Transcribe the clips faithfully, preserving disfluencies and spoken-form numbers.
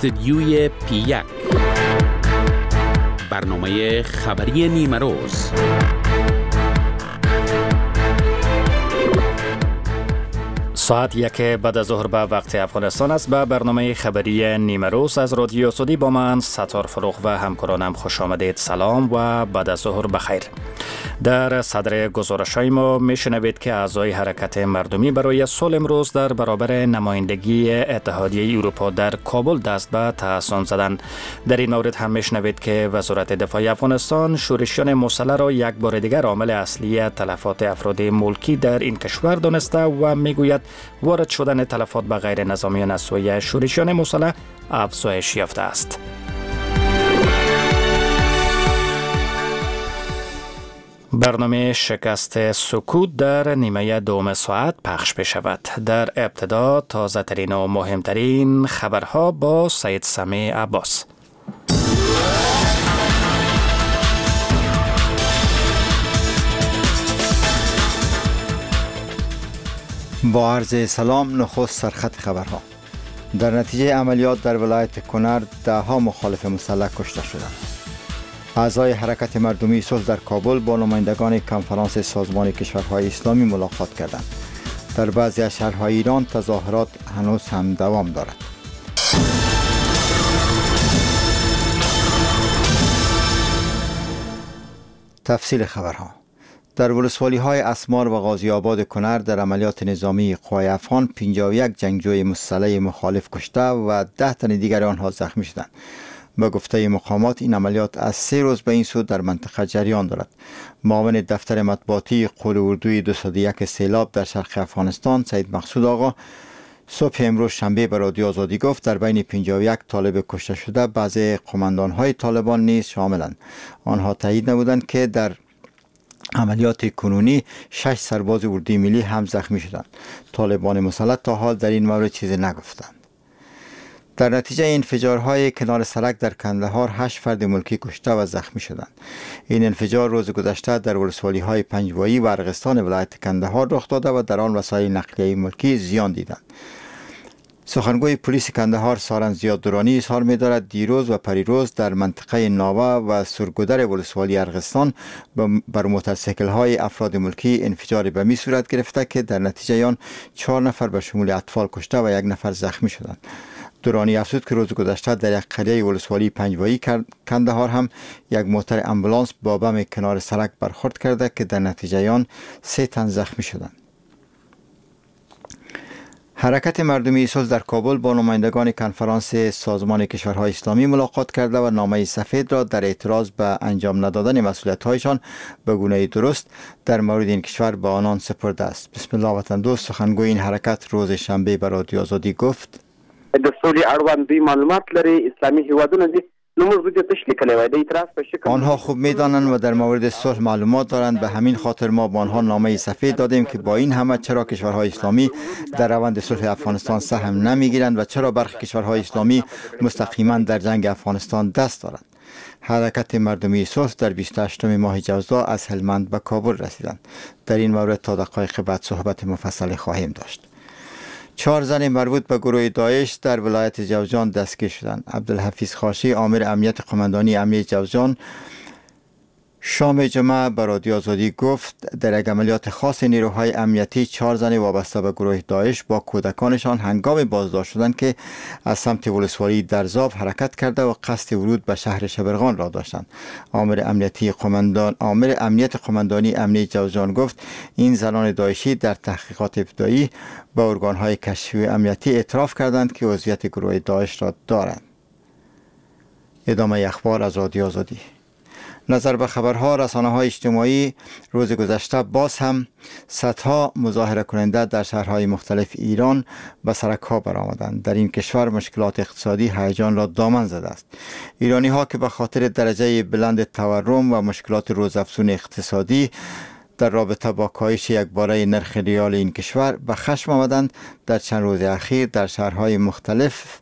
استودیوی پی یک، برنامه خبری نیمه روز. ساعت یک بعد از ظهر به وقت افغانستان است. به برنامه خبری نیمه روز از رادیو آزادی با من ستار فروغ و همکارانم خوش آمدید. سلام و بعد از ظهر بخیر. در صدر گزارش‌های ما میشنوید که اعضای حرکت مردمی برای صلح امروز در برابر نمایندگی اتحادیه اروپا در کابل دست به تحصن زدند. در این مورد هم میشنوید که وزارت دفاع افغانستان شورشیان مسلح را یک بار دیگر عامل اصلی تلفات افراد ملکی در این کشور دانسته و میگوید وارد شدن تلفات به غیر نظامیان از سوی شورشیان مسلح افزایش یافته است. برنامه شکست سکوت در نیمه دوم ساعت پخش بشود. در ابتدا تازه ترین و مهمترین خبرها با سید سمیع عباس. با عرض سلام، نخست سرخط خبرها. در نتیجه عملیات در ولایت کنر ده ها مخالف مسلح کشته شدند. اعضای حرکت مردمی صلح در کابل با نمایندگان کنفرانس سازمان کشورهای اسلامی ملاقات کردند. در بعضی از شهرهای ایران تظاهرات هنوز هم دوام دارد. تفصیل خبرها. در ولسوالی‌های اسمار و غازی آباد کنر در عملیات نظامی قوای افغان پنجاه و یک جنگجوی مسلح مخالف کشته و ده تن دیگر آنها زخمی شدند. به گفته مقامات این عملیات از سه روز به این سو در منطقه جریان دارد. معاون دفتر مطبوعاتی قول اردوی دویست و یک سیلاب در شرق افغانستان سید مقصود آقا صبح امروز شنبه به رادیو آزادی گفت در بین پنجاه و یک طالب کشته شده بعضی قماندان‌های طالبان نیز شاملند. آنها تایید نمودند که در عملیات کنونی شش سرباز اردوی ملی هم زخمی شدند. طالبان مسلح تا حال در این مورد چیزی نگفتند. در نتیجه انفجارهای کنار سرک در کندهار هشت فرد ملکی کشته و زخمی شدند. این انفجار روز گذشته در ولسوالی‌های پنجوایی و ارغستان ولایت کندهار رخ داده و در آن وسایل نقلیه ملکی زیان دیدند. سخنگوی پلیس کندهار سارن زیاد دورانی اظهار می‌دارد دیروز و پریروز در منطقه ناوه و سرگودر ولسوالی ارغستان بر موتورسیکل‌های افراد ملکی انفجار بمی صورت گرفته که در نتیجه آن چهار نفر به شمول اطفال کشته و یک نفر زخمی شدند. دورانی افزود که روز گذشته در یک قریه ولسوالی پنجوایی کندهار هم یک موتور امبولانس با بم کنار سرک برخورد کرده که در نتیجه آن سه تن زخمی شدند. حرکت مردمی صلح در کابل با نمایندگان کنفرانس سازمان کشورهای اسلامی ملاقات کرده و نامه سفید را در اعتراض به انجام ندادن مسئولیت‌هایشان به گونه درست در مورد این کشور به آنان سپرده است. بسم الله وطن دوست سخنگوی این حرکت روز شنبه به رادیو آزادی گفت: د سولې اړوند دوی معلومات لري، اسلامي هیوادونه دي، نو موږ دې تش لیکلی وای د اعتراض په شکل. آنها خوب میدانند و در مورد صلح معلومات دارند، به همین خاطر ما با آنها نامه سفید دادیم که با این همه چرا کشورهای اسلامی در روند صلح افغانستان سهم نمیگیرند و چرا برخی کشورهای اسلامی مستقیما در جنگ افغانستان دست دارند. حرکت مردمی صلح در بیست و هشتم ماه جوزا از هلمند به کابل رسیدند. در این مورد تا دقایق بعد صحبت مفصل خواهیم داشت. چهار زن مربوط به گروه داعش در ولایت جوزجان دستگیر شدند. عبدالحفیظ خاشی آمر امنیت قماندانی امنیت جوزجان شام جمعه به رادیو آزادی گفت در یک عملیات خاص نیروهای امنیتی چهار زن وابسته به گروه داعش با کودکانشان هنگام بازداشت شدند که از سمت ولسوالی درزاب حرکت کرده و قصد ورود به شهر شبرغان را داشتند. آمر امنیتی قماندان آمر امنیت قماندانی امنیت جوزجان گفت این زنان داعشی در تحقیقات ابتدایی به ارگان‌های کشفی امنیتی اعتراف کردند که عضویت گروه داعش را دارند. ادامه اخبار از رادیو آزادی. نظر به خبرها رسانه‌های اجتماعی روز گذشته باز هم صدها مظاهره کننده در شهرهای مختلف ایران به سرک‌ها برآمدند. در این کشور مشکلات اقتصادی هیجان را دامن زده است. ایرانی‌ها که به خاطر درجه بلند تورم و مشکلات روزافزون اقتصادی در رابطه با کاهش یکباره نرخ ریال این کشور به خشم آمدند، در چند روز اخیر در شهرهای مختلف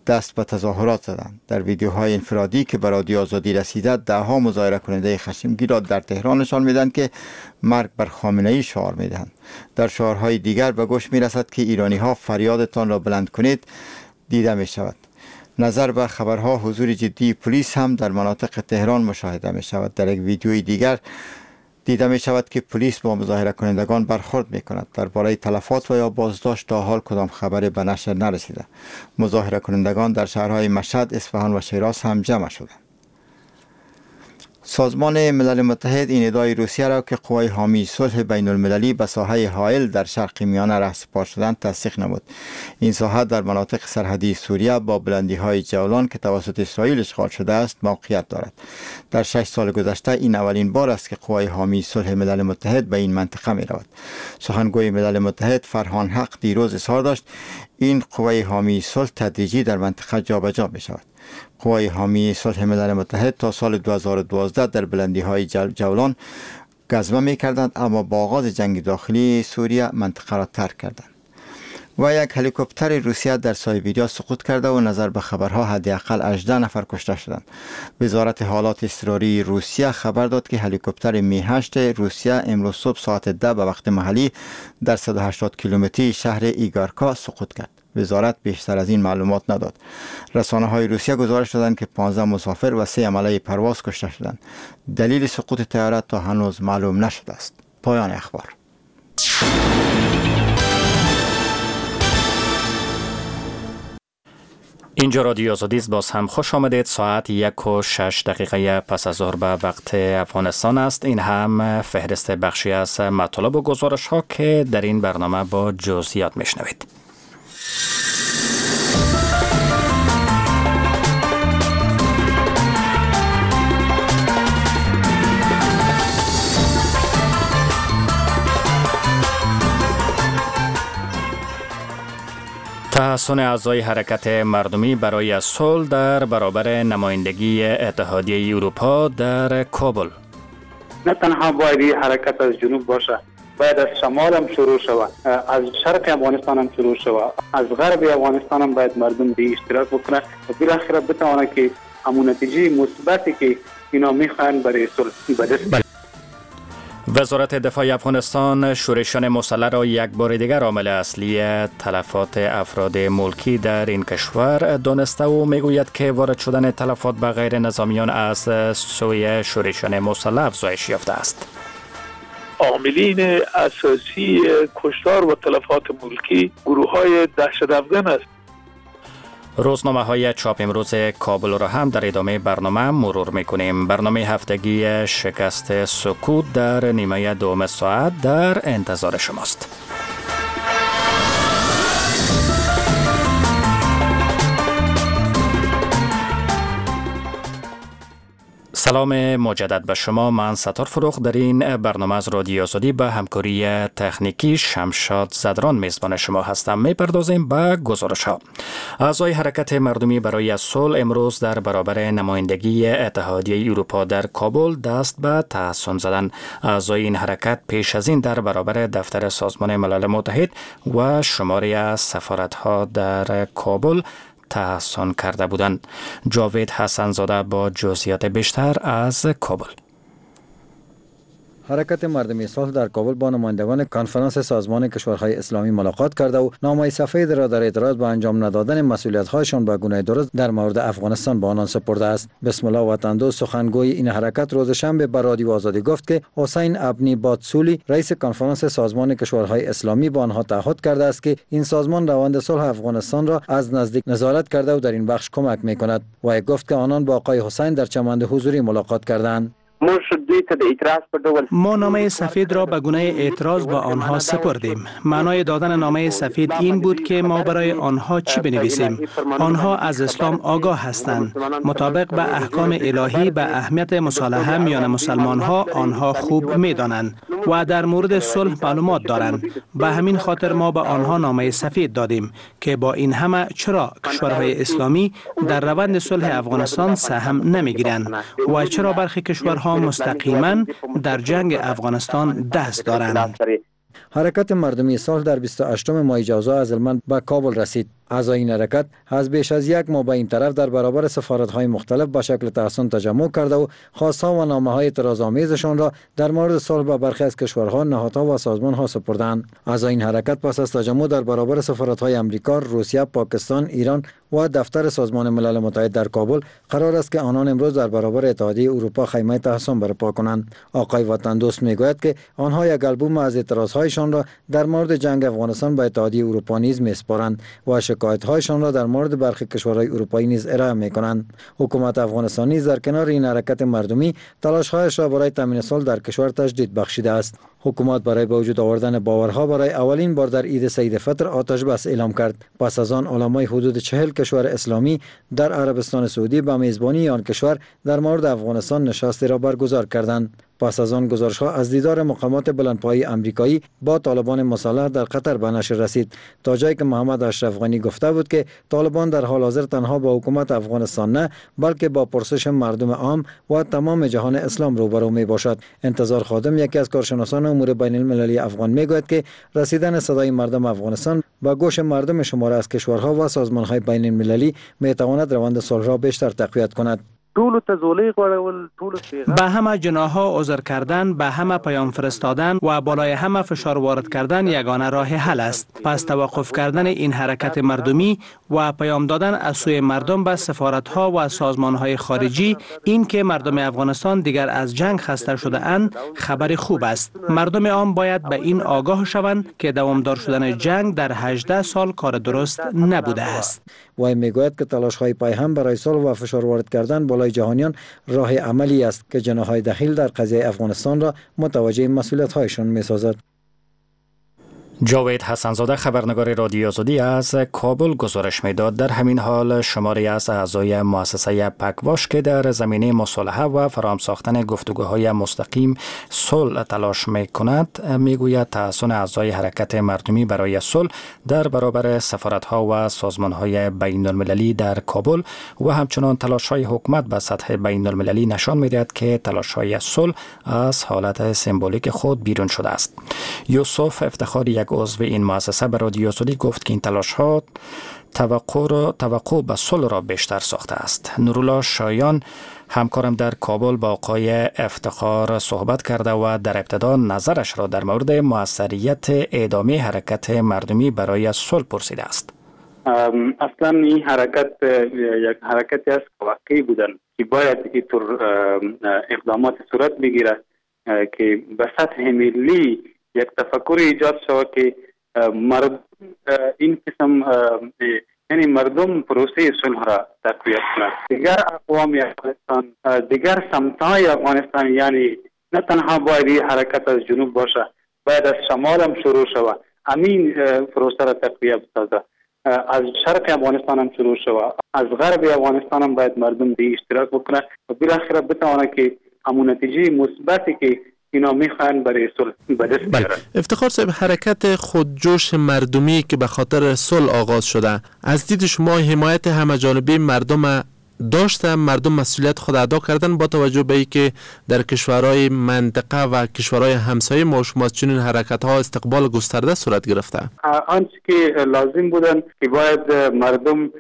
دست به تظاهرات زدند. در ویدیوهای انفرادی که به رادیو آزادی رسیده، دهها مظاهره کننده خشمگین را در تهران نشان میدهند که مرگ بر خامنه ای شعار میدهند. در شعارهای دیگر به گوش میرسد که ایرانی ها فریادتان را بلند کنید دیده می شود. نظر به خبرها حضور جدی پلیس هم در مناطق تهران مشاهده می شود. در یک ویدیوی دیگر دیده می شود که پلیس با مظاهره کنندگان برخورد می کند. درباره تلفات و یا بازداشت تا حال کدام خبری به نشر نرسیده. مظاهره کنندگان در شهرهای مشهد، اصفهان و شیراز هم جمع شدند. سازمان ملل متحد این ادعای روسیه را که قوای حامی صلح بین المللی به ساحه حائل در شرق میانه رهسپار شدند تصدیق نمود. این ساحه در مناطق سرحدی سوریه با بلندی های جولان که توسط اسرائیل اشغال شده است موقعیت دارد. در شش سال گذشته این اولین بار است که قوای حامی صلح ملل متحد به این منطقه می رود. سخنگوی ملل متحد فرهان حق دیروز اظهار داشت این قوای حامی صلح تدریجی در منطقه جابجا می شود. قوای حامی صلح ملل متحد تا سال دو هزار و دوازده در بلندی های جولان گزمه می کردند، اما با آغاز جنگ داخلی سوریه منطقه را ترک کردند. و یک هلیکوپتر روسیه در سایبریا سقوط کرده و نظر به خبرها حداقل هجده نفر کشته شدند. وزارت حالات اضطراری روسیه خبر داد که هلیکوپتر می هشت روسیه امروز صبح ساعت ده به وقت محلی در صد و هشتاد کیلومتری شهر ایگارکا سقوط کرد. وزارت بیشتر از این معلومات نداد. رسانه های روسیه گزارش دادند که پانزده مسافر و سه عمله پرواز کشته شدند. دلیل سقوط طیاره تا هنوز معلوم نشده است. پایان اخبار. اینجا رادیو آزادی است. باز هم خوش آمدید. ساعت یک و شش دقیقه پس از ظهر به وقت افغانستان است. این هم فهرست بخشی از مطالب و گزارش ها که در این برنامه با جزئیات میشنوید. تحصن اعضای حرکت مردمی برای صلح در برابر نمایندگی اتحادیه اروپا در کابل. نه تنها باید این حرکت از جنوب باشه، باید از شمال هم شروع شود، از شرق افغانستان هم شروع شود، از غرب افغانستان هم باید مردم به اشتراک بکنه و بالاخره بتوانه که همون نتیجه مثبتی که اینا میخوان برای صلح به دست. وزارت دفاع افغانستان شورشیان مسلح را یک بار دیگر عامل اصلی تلفات افراد ملکی در این کشور دانسته و میگوید که وارد شدن تلفات به غیر نظامیان از سوی شورشیان مسلح افزایش یافته است. عاملین اساسی کشتار و تلفات ملکی گروه‌های دهشت افگن است. روزنامه های چاپ امروز کابل را هم در ادامه برنامه مرور میکنیم. برنامه هفتگی شکست سکوت در نیمه دوم ساعت در انتظار شماست. سلام مجدد به شما، من ستار فروغ در این برنامه از رادیو آزادی به همکاری تکنیکی شمشاد زدران میزبان شما هستم. میپردازیم به گزارش ها. اعضای حرکت مردمی برای صلح امروز در برابر نمایندگی اتحادیه اروپا در کابل دست به تحصن زدند. اعضای این حرکت پیش از این در برابر دفتر سازمان ملل متحد و شماری از سفارت ها در کابل تحصن کرده بودند. جاوید حسن زاده با جزئیات بیشتر از کابل. حرکت مردمی صلح در کابل با نمایندگان کنفرانس سازمان کشورهای اسلامی ملاقات کرده و نامه سفید را در اعتراض به انجام ندادن مسئولیت‌هایشان به گونه درست در مورد افغانستان به آنان سپرده است. بسم الله وطندوست سخنگوی این حرکت روز شنبه به رادیو آزادی گفت که حسین ابنی باتسولی رئیس کنفرانس سازمان کشورهای اسلامی با آنها تعهد کرده است که این سازمان روند صلح افغانستان را از نزدیک نظارت کرده و در این بخش کمک می‌کند. و گفت که آنان با آقای حسین در چمن حضوری ملاقات کردند. ما نامه سفید را به گونه اعتراض به آنها سپردیم. معنای دادن نامه سفید این بود که ما برای آنها چی بنویسیم. آنها از اسلام آگاه هستند. مطابق به احکام الهی به اهمیت مصالحه میان مسلمان ها آنها خوب می دانند و در مورد صلح معلومات دارند. به همین خاطر ما به آنها نامه سفید دادیم که با این همه چرا کشورهای اسلامی در روند صلح افغانستان سهم نمیگیرند و چرا برخی کشورها مستقیما در جنگ افغانستان دست دارند. حرکت مردمی صلح در بیست و هشتم ماه جوزا از هلمند به کابل رسید. اعضای این حرکت از بیش از یک ماه به این طرف در برابر سفارت‌های مختلف به شکل تحصن تجمع کرده و خواست‌ها و نامه‌های اعتراض‌آمیزشان را در مورد صلح به برخی از کشورها، نهادها و سازمان‌ها سپردند. اعضای این حرکت پس از تجمع در برابر سفارت‌های امریکا، روسیه، پاکستان، ایران و دفتر سازمان ملل متحد در کابل قرار است که آنان امروز در برابر اتحادیه اروپا خیمه تحصن برپا کنند. آقای وطن دوست میگوید که آنها یک آلبوم از اعتراض‌هایشان را در مورد جنگ افغانستان به اتحادیه اروپا نیز میسپارند و شکایت‌هایشان را در مورد برخی کشورهای اروپایی نیز ارائه می‌کنند. حکومت افغانستان نیز در کنار این حرکت مردمی تلاش‌هایش را برای تامین صلح در کشور تجدید بخشیده است. حکومت برای به وجود آوردن باورها برای اولین بار در عید سعید فطر آتش بس اعلام کرد. پس از آن علمای حدود چهل کشور اسلامی در عربستان سعودی به میزبانی آن کشور در مورد افغانستان نشستی را برگزار کردند. پس از آن گزارش‌ها از دیدار مقامات بلندپایه امریکایی با طالبان مسلح در قطر به نشر رسید، تا جایی که محمد اشرف غنی گفته بود که طالبان در حال حاضر تنها با حکومت افغانستان نه، بلکه با پرسش مردم عام و تمام جهان اسلام روبرو می باشد. انتظار خادم، یکی از کارشناسان امور بین المللی افغان، میگوید که رسیدن صدای مردم افغانستان به گوش مردم شماره از کشورها و سازمان‌های بین المللی می تواند روند صلح را بیشتر تقویت کند. به همه جناح‌ها عذر کردن، به همه پیام فرستادن و بالای همه فشار وارد کردن یگانه راه حل است. پس توقف کردن این حرکت مردمی و پیام دادن از سوی مردم به سفارت‌ها و سازمان‌های خارجی، این که مردم افغانستان دیگر از جنگ خسته شده اند، خبر خوب است. مردم عام باید به این آگاه شوند که دوامدار شدن جنگ در هجده سال کار درست نبوده است. وی میگوید که تلاش‌های پایهم برای صلح و فشار وارد کردن بالای جهانیان راه عملی است که جناح‌های دخیل در قضیه افغانستان را متوجه مسئولیت‌هایشان می‌سازد. جاوید حسنزاده، خبرنگار رادیو آزادی از کابل گزارش میداد. در همین حال شماری از اعضای مؤسسه پکواش که در زمینه مصالحه و فراهم ساختن گفتگوهای مستقیم صلح تلاش میکند، میگوید تحصن اعضای حرکت مردمی برای صلح در برابر سفارت‌ها و سازمان‌های بین المللی در کابل و همچنان تلاش‌های حکومت به سطح بین المللی نشان میدهد که تلاش‌های صلح از حالت سمبولیک خود بیرون شده است. یوسف افتخاری، یک عضو این مؤسسه، به رادیو آزادی گفت که این تلاش ها توقع را توقع به صلح را بیشتر ساخته است. نورالله شایان، همکارم در کابل، با آقای افتخار صحبت کرده و در ابتدا نظرش را در مورد موثریت ادامه حرکت مردمی برای صلح پرسیده است. اصلا این حرکت یک حرکتی است واقعی بودن که باید اینطور اقدامات صورت بگیرد که به سطح ملی یک تفکر ایجاد شود که مرد این قسم، یعنی مردم پروسه صلح را تقویت کنند. دیگر اقوام افغانستان، دیگر سمت‌های افغانستان، یعنی نه تنها باید این حرکت از جنوب باشه، باید از شمال هم شروع شود، همین پروسه را تقویت بسازه. از شرق افغانستان هم شروع شود، از غرب افغانستان هم باید مردم دی اشتراک بکنه و بالاخره بتوانه که همون نتیجه مثبتی که اینا میخوان برای صلح به دست بیارن. افتخار صاحب، حرکت خودجوش مردمی که به خاطر صلح آغاز شده، از دید شما حمایت همه جانبه مردم داشته؟ مردم مسئولیت خود ادا کردن با توجه به اینکه در کشورهای منطقه و کشورهای همسایه ما شما از چنین حرکت ها استقبال گسترده صورت گرفته؟ آنچه که لازم بودن که باید مردم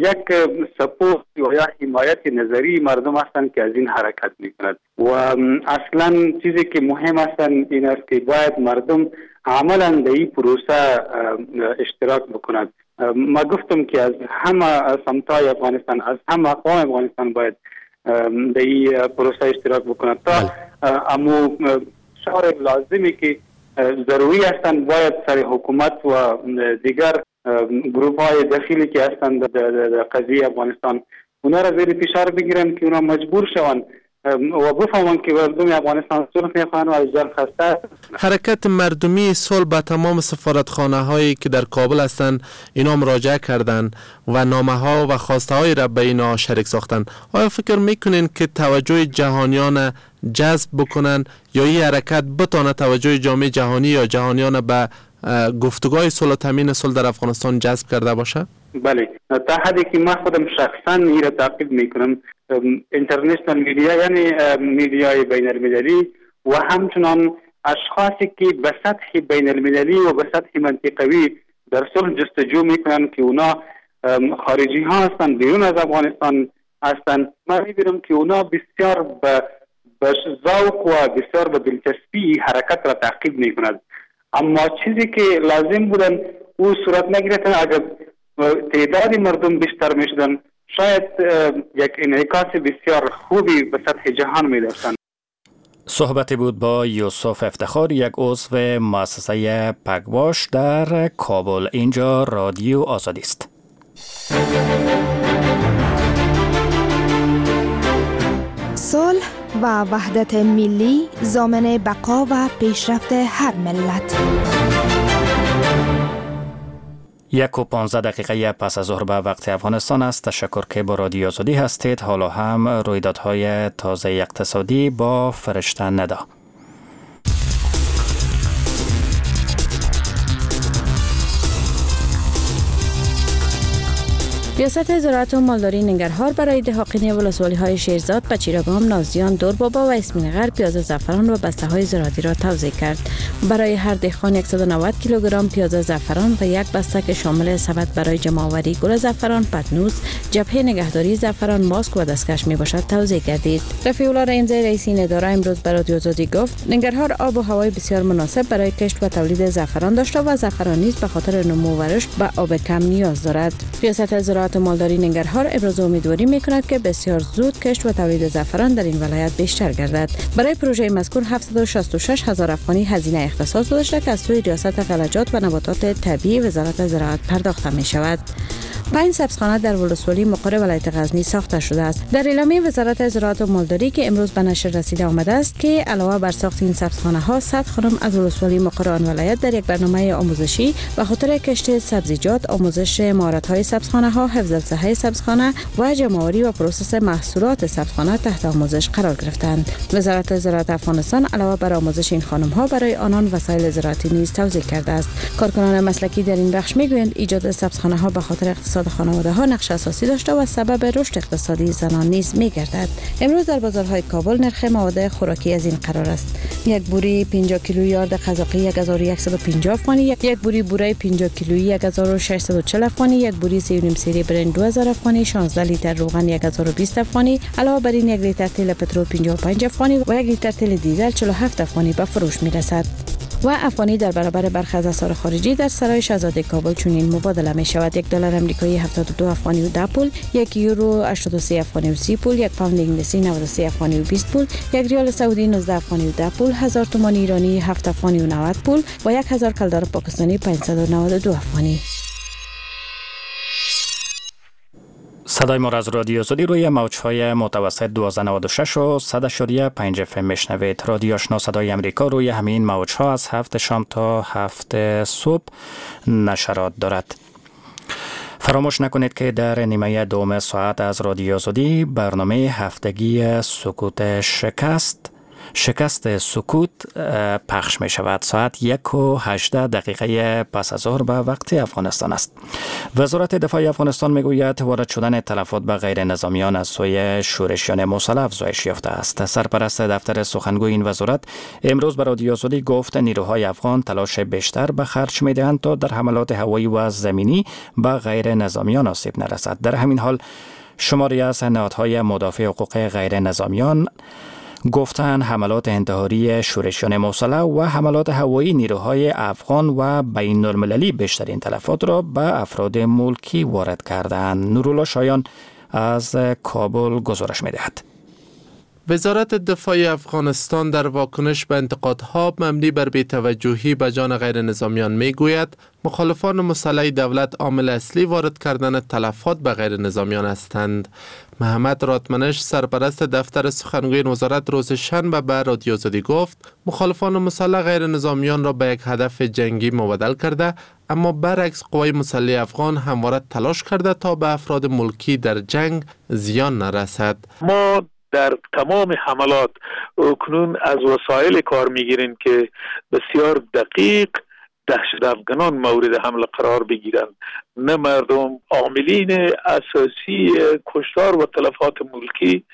یک سپورت یا حمایت نظری مردم هستند که از این حرکت میکند و اصلا چیزی که مهم هستند این است که باید مردم عملا در این پروسه اشتراک بکنند. ما گفتم که از همه سمت‌های افغانستان، از همه اقوام افغانستان باید در این پروسه اشتراک بکنند تا امو شعار لازمی که ضروری هستند باید سر حکومت و دیگر گروپ های دخیلی که هستند در قضیه افغانستان اونا را زیر فشار بگیرن که اونا مجبور شوند و بفهمند که مردم افغانستان صلح میخواهند و از جنگ خسته. حرکت مردمی صلح به تمام سفارتخانه هایی که در کابل هستند اینا مراجعه کردند و نامه ها و خواسته های را به اینا شریک ساختند. آیا فکر میکنین که توجه جهانیان جذب بکنن یا این حرکت بتانه توجه جامعه جهانی یا جهانیان به گفتگوهای صلح و تامین صلح در افغانستان جذب کرده باشه؟ بله، تا حدی که من خودم شخصا این را تعقیب میکنم، international media، یعنی media ی بین المللی و همچنان اشخاصی که به سطح بین المللی و به سطح منطقوی در صلح جستجو میکنن که اونا خارجی ها هستند، بیرون از افغانستان هستند، من میبینم که اونا بسیار به به ذوق و بسیار به دلچسپی حرکت را تعقیب میکند. اما چیزی که لازم بودن او صورت نگرفتن. اگر تعداد مردم بیشتر میشدن شاید یک انعکاس بسیار خوبی به سطح جهان می داشتن. صحبتی بود با یوسف افتخار، یک عضو مؤسسه پگواش در کابل. اینجا رادیو آزادی است. صلح و وحدت ملی ضامن بقا و پیشرفت هر ملت. یک و پانزده دقیقه پس از ظهر به وقت افغانستان است. تشکر که با رادیو آزادی هستید. حالا هم رویدادهای تازه اقتصادی با فرشته ندا. ریاست زراعت و مالداری ننگرهار برای دهاقین ولسوالی‌های شیرزاد، پچیراگام، نازیان، دوربابا و اسمین غرب پیاز زعفران و بسته‌های زراعتی را توزیع کرد. برای هر دهقان صد و نود کیلوگرم پیاز زعفران و یک بسته که شامل سبد برای جمع‌آوری گل زعفران، پتنوس، جبهه نگهداری زعفران، ماسک و دستکش میباشد توزیع گردید. رفیع الله رحیمزی رئیس این اداره امروز برای رادیو آزادی گفت ننگرهار آب و هوای بسیار مناسب برای کشت و تولید زعفران داشته و زعفران نیز به خاطر نمو و رشد به آب کم نیاز دارد. ریاست زراعت مالداری ننگرهار ابراز امیدواری میکند که بسیار زود کشت و تولید زعفران در این ولایت بیشتر گردد. برای پروژه مذکور هفتصد و شصت و شش هزار افغانی هزینه اختصاص داده شده که از سوی ریاست غلجات و نباتات طبیعی وزارت زراعت پرداخته می شود. پنج سبزخانه در ولسوالی مقر ولایت غزنی ساخته شده است. در اعلامیه وزارت زراعت و مالداری که امروز به نشر رسیده آمده است که علاوه بر ساخت این سبزخانه ها، صد خانم از ولسوالی مقر آن ولایت در یک برنامه آموزشی به خاطر کشت سبزیجات، آموزش مهارت های سبزخانه ها، حفظ الصحه سبزخانه و جمع‌آوری و پروسس محصولات سبزخانه تحت آموزش قرار گرفتند. وزارت زراعت افغانستان علاوه بر آموزش این خانم ها برای آنان وسایل زراعتی نیز توزیع کرده است. کارکنان مسلکی در این بخش میگویند ایجاد سبزخانه ها به خاطر اقتصاد خانواده ها نقش اساسی داشته و سبب رشد اقتصادی زنان نیز میگردد. امروز در بازارهای کابل نرخ مواد خوراکی از این قرار است: یک بوری پنجاه کیلویی آرد قزاقی هزار و صد و پنجاه افغانی، یک بوری بوره پنجاه کیلویی هزار و ششصد و چهل افغانی، یک بوری سه و نیم سیری برنج دو هزار افغانی، شانزده لیتر روغن هزار و بیست افغانی، علاوه بر این یک لیتر تیل پترول پنجاه و پنج افغانی و یک لیتر تیل دیزل چهل و هفت افغانی به فروش میرسد. و افغانی در برابر برخی از اسعار خارجی در سرای شهزاده کابل چنین مبادله می شود: یک دلار آمریکایی هفتاد و دو افغانی و ده پول، یک یورو هشتاد و سه افغانی و سی پول، یک پوند انگلیسی نود و سه افغانی و بیست پول، یک ریال سعودی نوزده افغانی و ده پول، هزار تومان ایرانی هفت افغانی و نود پول و یک هزار کلدار پاکستانی پانصد و نود و دو افغانی. صدای ما از رادیو آزادی روی موج‌های متوسط دوازده نود و شش و صد و پنج اف ام میشنوید. رادیو آشنا صدای امریکا روی همین موج‌ها از هفت شام تا هفت صبح نشرات دارد. فراموش نکنید که در نیمه دوم ساعت از رادیو آزادی برنامه هفتگی سکوت شکست شکست سکوت پخش می شود. ساعت یک و هجده دقیقه پس از ظهر به وقت افغانستان است. وزارت دفاع افغانستان می گوید وارد شدن تلفات به غیر نظامیان از سوی شورشیان مسلح افزایش یافته است. سرپرست دفتر سخنگوی این وزارت امروز به رادیو آزادی گفت نیروهای افغان تلاش بیشتر به خرج می دهند تا در حملات هوایی و زمینی به غیر نظامیان آسیب نرسد. در همین حال شماری از نهادهای مدافع حقوق غیر نظامیان گفتن حملات انتحاری شورشیان مسلح و حملات هوایی نیروهای افغان و بین المللی بیشترین تلفات را به افراد ملکی وارد کردند. نورالله شایان از کابل گزارش می‌دهد. وزارت دفاع افغانستان در واکنش به انتقادها مبنی بر بی‌توجهی به جان غیر نظامیان میگوید مخالفان مسلح دولت عامل اصلی وارد کردن تلفات به غیر نظامیان هستند. محمد راتمنش سرپرست دفتر سخنگوی وزارت روز شنبه به رادیو آزادی گفت مخالفان مسلح غیر نظامیان را به یک هدف جنگی مبدل کرده، اما برعکس قوای مسلح افغان همواره تلاش کرده تا به افراد ملکی در جنگ زیان نرسد. ما در تمام حملات اکنون از وسایل کار میگیریم که بسیار دقیق دهشت افغانان مورد حمله قرار بگیرند، نه مردم. عاملین اساسی کشتار و تلفات ملکی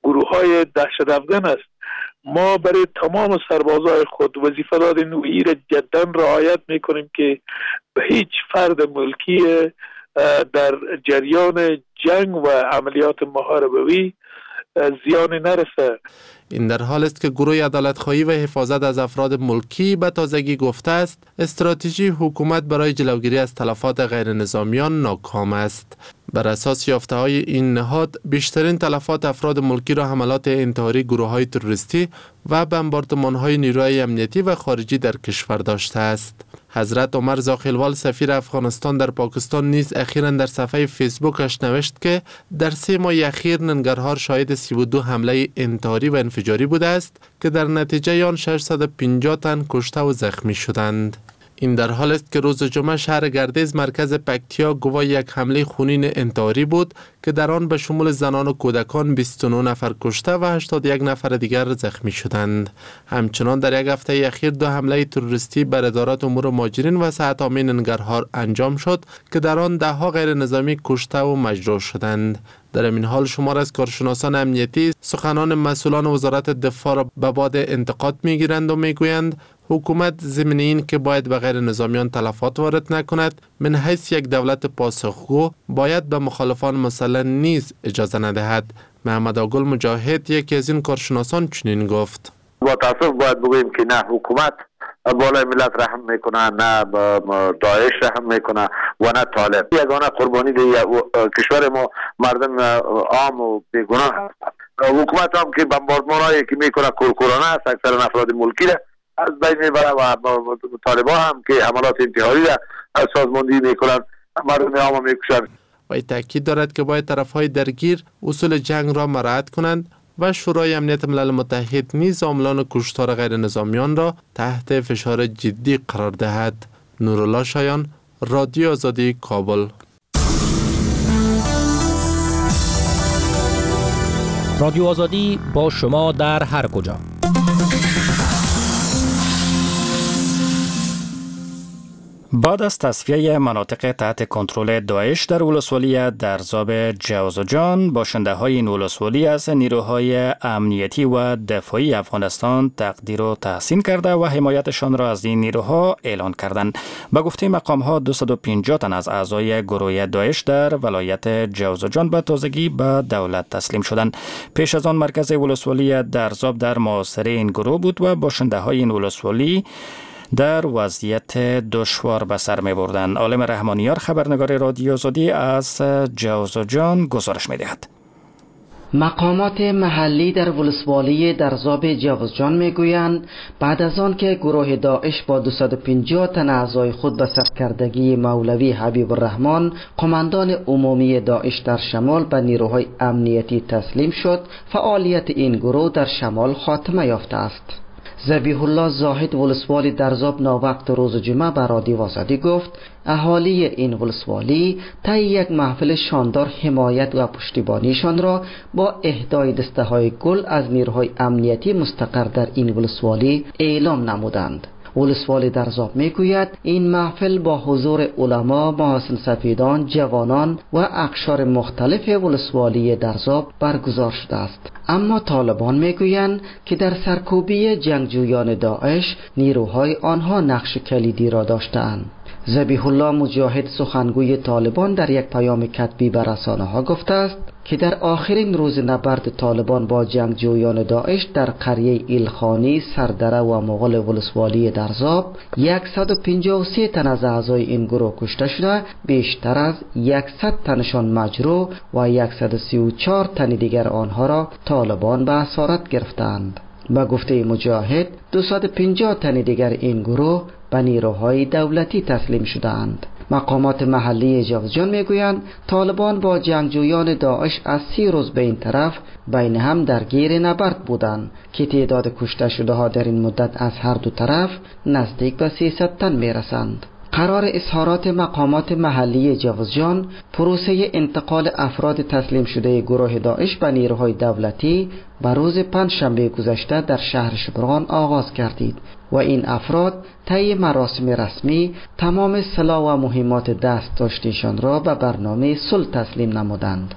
گروه های دهشت افغان است. ما برای تمام سربازای خود وظیفه دادیم و این را جدا رعایت میکنیم که به هیچ فرد ملکی در جریان جنگ و عملیات محاربوی زیان نرسه. این در حال است که گروه عدالت‌خواهی و حفاظت از افراد ملکی به تازگی گفته است استراتژی حکومت برای جلوگیری از تلفات غیر نظامیان ناکام است. بر اساس یافته‌های این نهاد بیشترین تلفات افراد ملکی را حملات انتحاری گروه‌های تروریستی و بمباردمان‌های نیروهای امنیتی و خارجی در کشور داشته است. حضرت عمر زاخیلوال سفیر افغانستان در پاکستان نیز اخیراً در صفحه فیسبوکش نوشت که در سه ماه اخیر ننگرهار شاهد سی و دو حمله انتحاری و انفجاری بوده است که در نتیجه آن ششصد و پنجاه تن کشته و زخمی شدند. این در حال است که روز جمعه شهر گردیز مرکز پکتیا گواه یک حمله خونین انتحاری بود که در آن به شمول زنان و کودکان بیست و نه نفر کشته و هشتاد و یک نفر دیگر زخمی شدند. همچنان در یک هفته اخیر دو حمله تروریستی بر ادارات امور مهاجرین و صحت عامه ننگرهار انجام شد که در آن ده ها غیر نظامی کشته و مجروح شدند. در این حال شمار از کارشناسان امنیتی سخنان مسئولان وزارت دفاع را به باد انتقاد میگیرند و میگویند حکومت ضمن این که باید به غیر نظامیان تلفات وارد نکند، من حیث یک دولت پاسخگو باید به مخالفان مسلح نیز اجازه ندهد. محمد آگل مجاهد یکی از این کارشناسان چنین گفت: با تاسف باید بگوییم که نه حکومت بالای ملت رحم میکنه، نه داعش رحم میکنه و نه طالب. یگانه قربانی کشور ما مردم عام و بیگناه هست. حکومت هم که بمباردمان هایی که میکنه کورکورانه است، اکثر افراد ملکی را از بین میبره و طالبان هم که حملات انتحاری را سازماندهی میکنن، مردم عام میکشن. و تاکید دارد که باید طرفهای درگیر اصول جنگ را مراعات کنند و شورای امنیت ملل متحد نیز عاملان کشتار غیر نظامیان را تحت فشار جدی قرار دهد. نورالله شایان، رادیو آزادی، کابل. رادیو آزادی با شما در هر کجا. بعد از تصفیه مناطق تحت کنترل داعش در ولسوالی درزاب جوزجان، باشنده های این ولسوالی از نیروهای امنیتی و دفاعی افغانستان تقدیر و تحسین کرده و حمایتشان را از این نیروها اعلان کردند. به گفته مقام ها دویست و پنجاه تن از اعضای گروه داعش در ولایت جوزجان به تازگی به دولت تسلیم شدند. پیش از آن مرکز ولسوالی درزاب در محاصره این گروه بود و باشنده های این ولسوالی در وضعیت دشوار به سر می بردن. عالم رحمانیار خبرنگار رادیو آزادی از جوزجان گزارش می دهد. مقامات محلی در ولسوالی درزاب جوزجان میگویند بعد از آن که گروه داعش با دویست و پنجاه تن اعضای خود به سرکردگی مولوی حبیب الرحمن قماندان عمومی داعش در شمال به نیروهای امنیتی تسلیم شد، فعالیت این گروه در شمال خاتمه یافته است. ذبیح الله زاهد ولسوالی درزاب ناوقت روز جمعه به رادیو آزادی گفت اهالی این ولسوالی طی یک محفل شاندار حمایت و پشتیبانیشان را با اهدای دسته های گل از نیروهای امنیتی مستقر در این ولسوالی اعلام نمودند. ولسوالی درزاب میگوید این محفل با حضور علما، محاسن سفیدان، جوانان و اقشار مختلف ولسوالی درزاب برگزار شده است. اما طالبان میگویند که در سرکوبی جنگجویان داعش نیروهای آنها نقش کلیدی را داشتند. ذبیح الله مجاهد سخنگوی طالبان در یک پیام کتبی به رسانه‌ها گفته است که در آخرین روز نبرد طالبان با جنگجویان داعش در قریه ایلخانی، سردره و مغل ولسوالی درزاب صد و پنجاه و سه تن از اعضای این گروه کشته شده، بیشتر از صد تنشان مجروح و صد و سی و چهار تن دیگر آنها را طالبان به اسارت گرفتند. به گفته مجاهد دویست و پنجاه تن دیگر این گروه به نیروهای دولتی تسلیم شدند. مقامات محلی جوزجان میگویند طالبان با جنگجویان داعش از سی روز به این طرف بین هم درگیر نبرد بودند که تعداد کشته شده ها در این مدت از هر دو طرف نزدیک به سیصد تن میرسند. قرار اظهارات مقامات محلی جوزجان پروسه انتقال افراد تسلیم شده گروه داعش به نیروهای دولتی به روز پنجشنبه گذشته در شهر شبرغان آغاز گردید و این افراد طی مراسم رسمی تمام سلاح و مهمات دست داشته‌شان را به برنامه صلح تسلیم نمودند.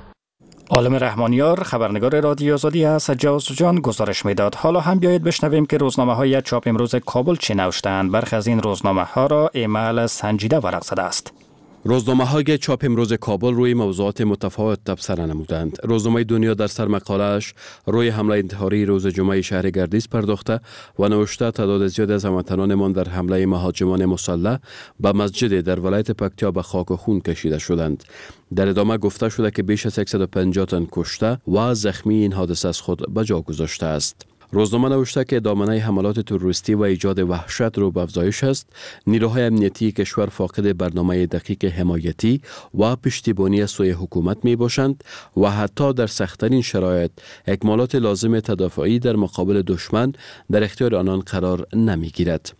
عالم رحمانیار، خبرنگار رادیو آزادی از جوزجان گزارش میداد. حالا هم بیایید بشنویم که روزنامه های چاپ امروز کابل چه نوشتند. برخی از این روزنامه ها را ایمل سنجیده ورق زده است. روزنامه های چاپ امروز کابل روی موضوعات متفاوت تبصره نمودند. روزنامه دنیا در سرمقاله‌اش روی حمله انتحاری روز جمعه شهر گردیز پرداخته و نوشته تعداد زیاد از هموطنانمان در حمله مهاجمان مسلح به مسجد در ولایت پکتیا به خاک و خون کشیده شدند. در ادامه گفته شده که بیش از صد و پنجاه تن کشته و زخمی این حادثه از خود به جا گذاشته است. روزنامه نوشته که دامنه حملات تروریستی و ایجاد وحشت رو به افزایش است. نیروهای امنیتی کشور فاقد برنامه دقیق حمایتی و پشتیبانی از سوی حکومت می باشند و حتی در سخت‌ترین شرایط اکمالات لازم تدافعی در مقابل دشمن در اختیار آنان قرار نمی گیرد.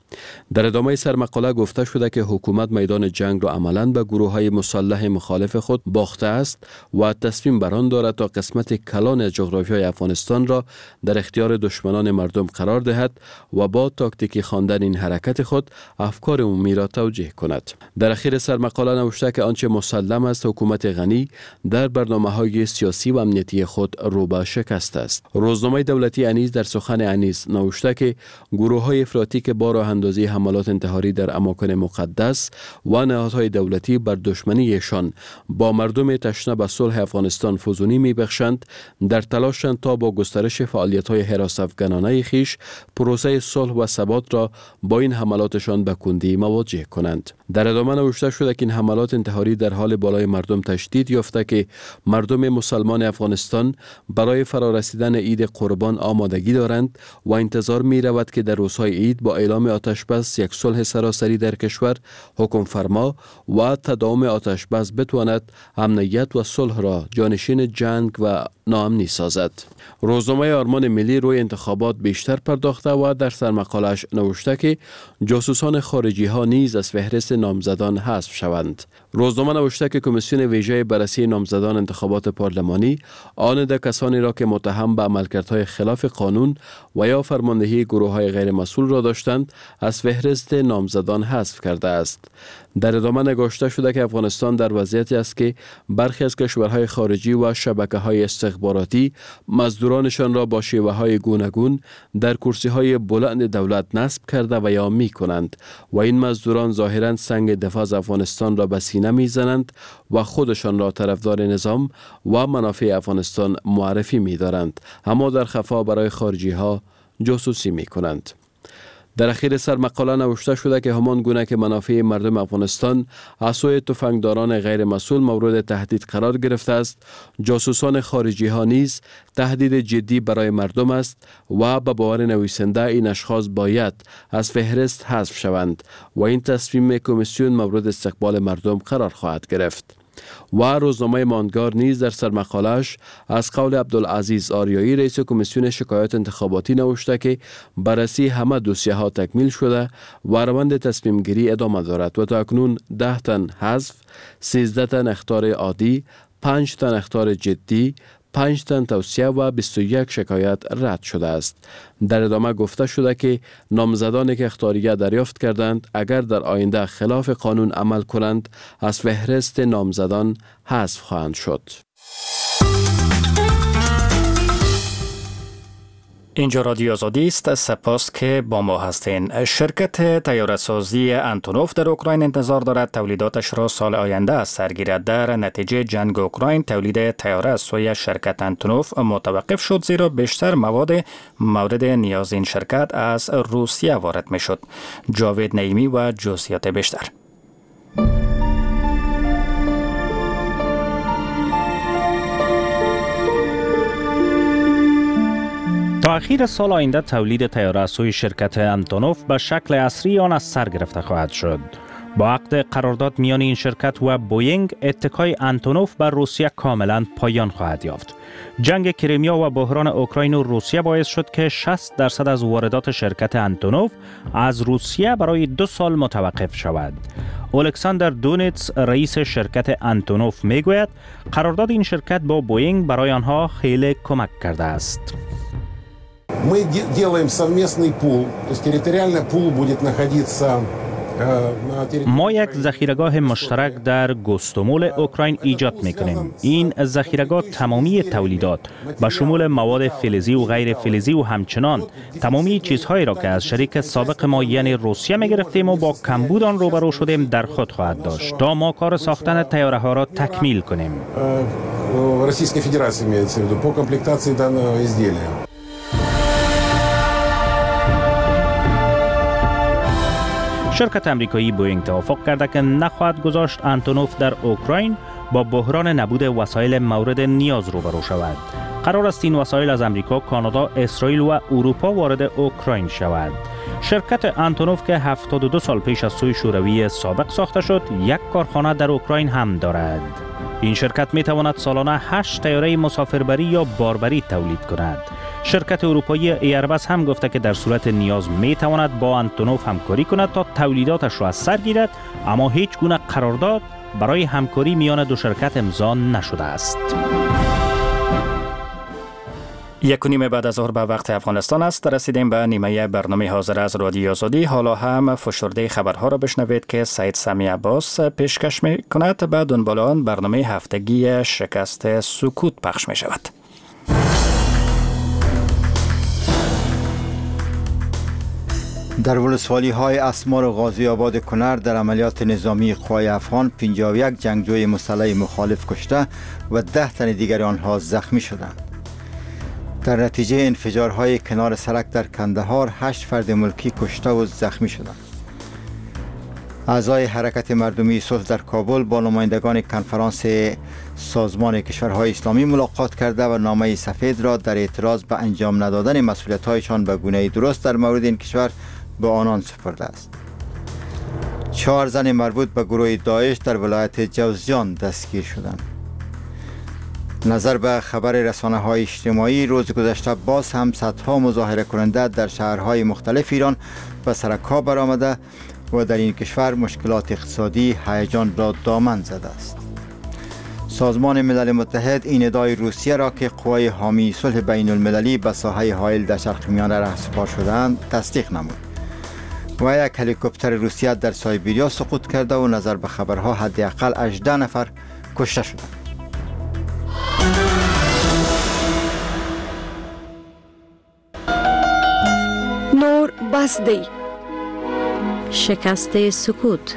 در ادامه سرمقاله گفته شده که حکومت میدان جنگ را عملاً به گروه‌های مسلح مخالف خود باخته است و تصمیم بر آن دارد تا قسمت کلان از جغرافیای افغانستان را در اختیار دشمنان مردم قرار دهد و با تاکتیکی خواندن این حرکت خود افکار عمومی را توجیه کند. در اخیر سرمقاله نوشته که آنچه مسلم است حکومت غنی در برنامه‌های سیاسی و امنیتی خود رو به شکست است. روزنامه دولتی انیس در سخن انیس نوشته که گروه‌های افراطی که با راه اندازی حملات انتحاری در اماکن مقدس و نهادهای دولتی بر دشمنیشان با مردم تشنه به صلح افغانستان فزونی میبخشند، در تلاشند تا با گسترش فعالیت‌های هراس افگنانه خویش پروسه صلح و ثبات را با این حملاتشان به کندی مواجه کنند. در ادامه نوشته شده که این حملات انتحاری در حال بالای مردم تشدید یافته که مردم مسلمان افغانستان برای فرارسیدن عید قربان آمادگی دارند و انتظار می رود که در روزهای عید با اعلام آتش بس یک صلح سراسری در کشور حکم فرما و تداوم آتش بس بتواند امنیت و صلح را جانشین جنگ و ناامنی سازد. روزنامه آرمان ملی روی انتخابات بیشتر پرداخته و در سرمقالش نوشته که جاسوسان خارجی ها نیز از فهرست نامزدان حذف شوند. روزنامه نوشته که کمیسیون ویژه بررسی نامزدان انتخابات پارلمانی آن ده کسانی را که متهم به عملکردهای خلاف قانون و یا فرماندهی گروه‌های غیر مسئول را داشتند از فهرست نامزدان حذف کرده است. در ادامه نگاشته شده که افغانستان در وضعیتی است که برخی از کشورهای خارجی و شبکه‌های استخباراتی مزدورانشان را با شیوه‌های گوناگون در کرسی‌های بلند دولت نصب کرده و یا می‌کنند و این مزدوران ظاهراً سنگ دفاع از افغانستان را به سینه می‌زنند و خودشان را طرفدار نظام و منافع افغانستان معرفی می‌دارند، اما در خفا برای خارجی‌ها جاسوسی می‌کنند. در اخیر سرمقاله نوشته شده که همان گونه که منافع مردم افغانستان از سوی تفنگداران غیر مسئول مورد تهدید قرار گرفته است، جاسوسان خارجی ها نیز تهدید جدی برای مردم است و به باور نویسنده این اشخاص باید از فهرست حذف شوند و این تصمیم کمیسیون مورد استقبال مردم قرار خواهد گرفت. و روزنامه ماندگار نیز در سرمقالش از قول عبدالعزیز آریایی رئیس کمیسیون شکایات انتخاباتی نوشته که بررسی همه دوسیه ها تکمیل شده و روند تصمیم گیری ادامه دارد و تا اکنون ده تن حذف، سیزده تن اخطار عادی، پنج تن اخطار جدی، پنج تن توصیه و بیست و یک شکایت رد شده است. در ادامه گفته شده که نامزدانی که اخطاریه دریافت کردند اگر در آینده خلاف قانون عمل کنند از فهرست نامزدان حذف خواهند شد. اینجا رادیو آزادی است. سپاس که با ما هستین. شرکت طیاره‌سازی انتونوف در اوکراین انتظار دارد تولیداتش را سال آینده از سر گیرد. در نتیجه جنگ اوکراین تولید طیاره از سوی شرکت انتونوف متوقف شد، زیرا بیشتر مواد مورد نیاز این شرکت از روسیه وارد می شد. جاوید نعیمی و جزئیات بیشتر. تا اخیر سال آینده تولید طیاره از سوی شرکت انتونوف به شکل عصری آن از سر گرفته خواهد شد. با عقد قرارداد میان این شرکت و بوینگ، اتکای انتونوف بر روسیه کاملا پایان خواهد یافت. جنگ کریمیا و بحران اوکراین و روسیه باعث شد که شصت درصد از واردات شرکت انتونوف از روسیه برای دو سال متوقف شود. الکساندر دونیتس رئیس شرکت انتونوف میگوید قرارداد این شرکت با بوینگ برای آنها خیلی کمک کرده است. Мы делаем совместный пул, то есть территориально пул будет находиться ما یک ذخیره‌گاه مشترک در گوستومول اوکراین ایجاد می‌کنیم. این ذخیره‌گاه تمامی تولیدات به شمول مواد فلزی و غیر فلزی و همچنان تمامی چیزهایی را که از شریک سابق ما یعنی روسیه می‌گرفتیم و با کمبود آن روبرو شدیم در خود خواهد داشت تا ما کار ساختن طیاره ها را تکمیل کنیم. Российской Федерации имеется в виду по комплектации данного изделия. شرکت امریکایی بوینگ توافق کرده که نخواهد گذاشت انتونوف در اوکراین با بحران نبود وسایل مورد نیاز روبرو شود. قرار است این وسایل از امریکا، کانادا، اسرائیل و اروپا وارد اوکراین شود. شرکت انتونوف که هفتاد و دو سال پیش از سوی شوروی سابق ساخته شد، یک کارخانه در اوکراین هم دارد. این شرکت می تواند سالانه هشت طیاره مسافربری یا باربری تولید کند. شرکت اروپایی ایربس هم گفته که در صورت نیاز می تواند با انتونوف همکاری کند تا تولیداتش را از سر گیرد، اما هیچ گونه قرارداد برای همکاری میان دو شرکت امضا نشده است. یک و نیم بعد از ظهر به وقت افغانستان است. رسیدیم به نیمه برنامه حاضر از رادیو آزادی. حالا هم فشرده خبرها را بشنوید که سید سمی عباس پیشکش می کند. به دنبال آن برنامه هفتگی شکست سکوت پخش می شود. در ولسوالی های اسمار و غازی آباد کنر در عملیات نظامی قوای افغان پنجاه و یک جنگجوی مسلح مخالف کشته و ده تن دیگر آنها زخمی شدند. در نتیجه انفجارهای کنار سرک در کندهار هشت فرد ملکی کشته و زخمی شدند. اعضای حرکت مردمی صلح در کابل با نمایندگان کنفرانس سازمان کشورهای اسلامی ملاقات کرده و نامه سفید را در اعتراض به انجام ندادن مسئولیت‌هایشان به گونه درست در مورد این کشور به آنان سپرده است. چهار زن مربوط به گروه داعش در ولایت جوزجان دستگیر شدند. نظر به خبر رسانه‌های اجتماعی روز گذشته باز هم صدها مظاهره کننده در شهرهای مختلف ایران به سرک‌ها برآمده و در این کشور مشکلات اقتصادی هیجان را دامن زده است. سازمان ملل متحد این ادعای روسیه را که قوای حامی صلح بین المللی به ساحه حائل در شرق میانه رهسپار شده‌اند تصدیق نمود و یک هلیکوپتر روسیه در سایبریا سقوط کرده و نظر به خبرها حداقل هجده نفر کشته شدند. نور بس دی. شکست سکوت.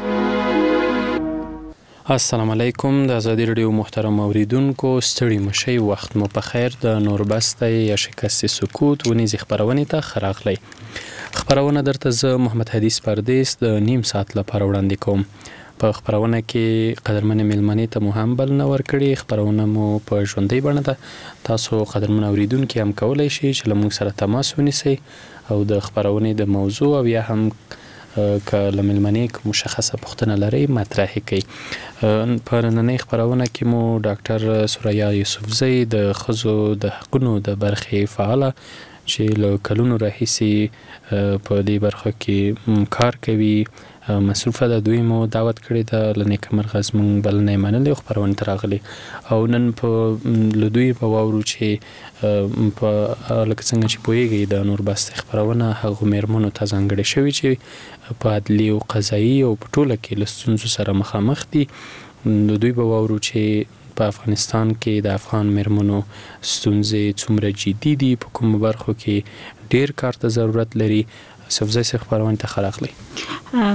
السلام علیکم د ازادي رادیو محترم اوریدونکو، ستړي مشي، وخت مو په خیر. د نور بس دی یا شکست سکوت ونیزې خپرونې ته ښه راغلی. خپرونه درته زه محمد حدیث پردیس د نیم ساعت لپاره وړاندې کوم. په خپرونه کې قدرمنې میلمنې ته مو هم بلنه ورکړې. خپرونه مو په ژوندۍ بڼه ده. تاسو قدرمن اوریدونکي هم کولی شئ چې له موږ سره تماس ونیسئ او د خپرونې د موضوع او یا هم که له میلمنې کوم مشخصه پوښتنه لرئ مطرح یې کړئ. په نننۍ خپرونه کې مو ډاکټر ثریا یوسفزۍ د ښځو د حقونو د برخې فعاله چې له کلونو راهیسې په دې برخه کې کار کوي مصروفه ده، دوی مو دعوت کړې ده. له نېکه مرغه زموږ بلنه یې منلې او خپرونې ته راغلي او نن په له دوی به واورو چې په لکه څنګه چې پوهېږئ د نور بس خپرونه هغو میرمنو ته ځانګړې شوې چې په عدلي او قضایي او په ټوله کې له ستونزو سره مخامخ دي. له دوی به واورو چې په افغانستان کې د افغان میرمنو ستونزې څومره جدي دي، په کومو برخو کې ډېر کار ته ضرورت لري. یوسفزۍ صاحب خپرونې ته ښه راغلی.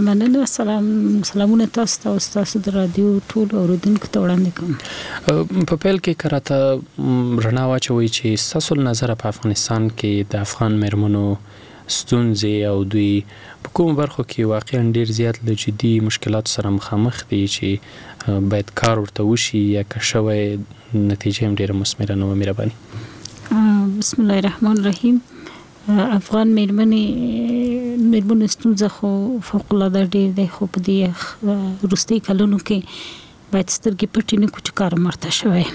مننه. سلام سلامونه تاسو ته او ستاسو د رادیو ټولو اورېدونکو ته وړاندې کوم. په پیل کې که راته رڼا واچوئ چې ستاسو له نظره په افغانستان کې د افغان میرمنو ستونزې او دوی په کومو برخو کې واقعا ډېر زیات له جدي مشکلاتو سره مخامخ دي چې باید کار ورته وشي یا که شوی نتیجه هم ډېره مثمره نه وه؟ مهرباني. بسم الله الرحمن الرحیم. افغان میرمنې میرمنو ستونزه خو فوق العاده ډېر دی، خو په دې وروستي کلونو کې باید سترګې پټې نه کړو چې کار ورته شوی.